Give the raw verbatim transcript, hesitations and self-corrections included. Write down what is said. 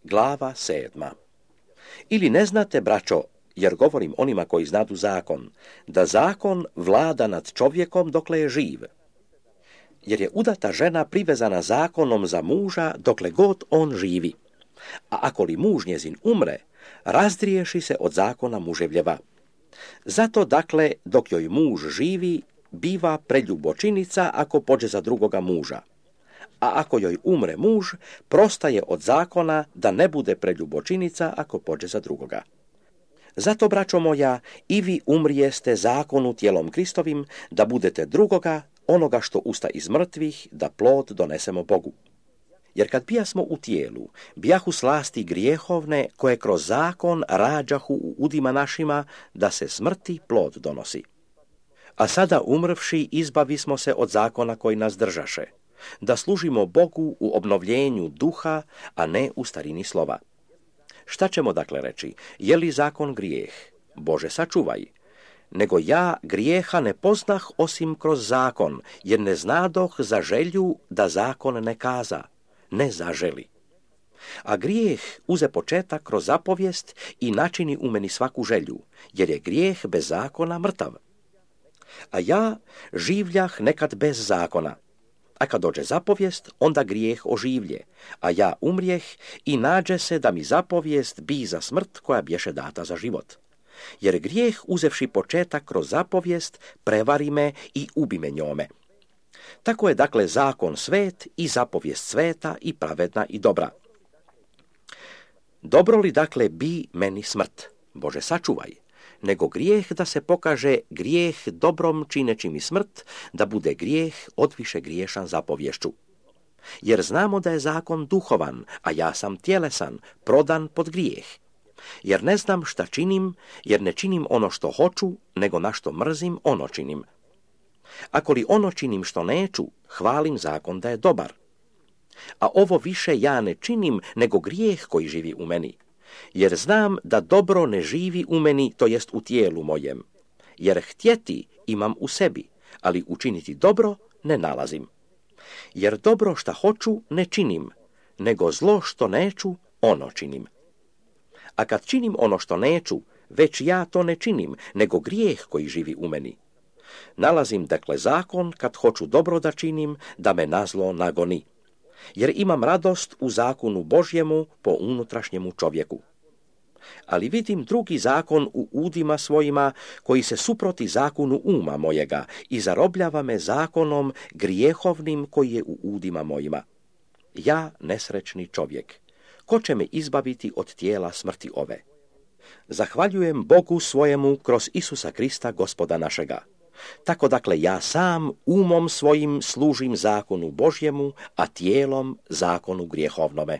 Glava sedma. Ili ne znate, braćo, jer govorim onima koji znadu zakon, da zakon vlada nad čovjekom dokle je živ. Jer je udata žena privezana zakonom za muža dokle god on živi. A ako li muž njezin umre, razdriješi se od zakona muževljeva. Zato, dakle, dok joj muž živi, biva preljubočinica ako pođe za drugoga muža. A ako joj umre muž, prostaje od zakona da ne bude preljubočinica ako pođe za drugoga. Zato, braćo moja, i vi umrijeste zakonu tijelom Kristovim, da budete drugoga, onoga što usta iz mrtvih, da plod donesemo Bogu. Jer kad bijasmo u tijelu, bijahu slasti grijehovne, koje kroz zakon rađahu u udima našima, da se smrti plod donosi. A sada umrvši, izbavismo se od zakona koji nas držaše, da služimo Bogu u obnovljenju duha, a ne u starini slova. Šta ćemo dakle reći? Je li zakon grijeh? Bože, sačuvaj. Nego ja grijeha ne poznah osim kroz zakon, jer ne znadoh za želju da zakon ne kaza, ne zaželi. A grijeh uze početak kroz zapovijest i načini u meni svaku želju, jer je grijeh bez zakona mrtav. A ja življah nekad bez zakona, a kad dođe zapovijest, onda grijeh oživlje, a ja umrijeh i nađe se da mi zapovijest bi za smrt koja bješe data za život. Jer grijeh, uzevši početak kroz zapovijest, prevari me i ubi me njome. Tako je dakle zakon svet i zapovijest sveta i pravedna i dobra. Dobro li dakle bi meni smrt? Bože, sačuvaj. Nego grijeh da se pokaže grijeh dobrom čineći mi smrt, da bude grijeh odviše griješan zapovješću. Jer znamo da je zakon duhovan, a ja sam tjelesan, prodan pod grijeh. Jer ne znam šta činim, jer ne činim ono što hoću, nego na što mrzim, ono činim. Ako li ono činim što neću, hvalim zakon da je dobar. A ovo više ja ne činim, nego grijeh koji živi u meni. Jer znam da dobro ne živi u meni, to jest u tijelu mojem. Jer htjeti imam u sebi, ali učiniti dobro ne nalazim. Jer dobro šta hoću ne činim, nego zlo što neću, ono činim. A kad činim ono što neću, već ja to ne činim, nego grijeh koji živi u meni. Nalazim dakle zakon, kad hoću dobro da činim, da me na zlo nagoni. Jer imam radost u zakonu Božjemu po unutrašnjemu čovjeku. Ali vidim drugi zakon u udima svojima, koji se suproti zakonu uma mojega i zarobljava me zakonom grijehovnim koji je u udima mojima. Ja, nesrećni čovjek, ko će me izbaviti od tijela smrti ove? Zahvaljujem Bogu svojemu kroz Isusa Krista, Gospoda našega. Tako dakle ja sam umom svojim služim zakonu Božjemu, a tijelom zakonu grijehovnome.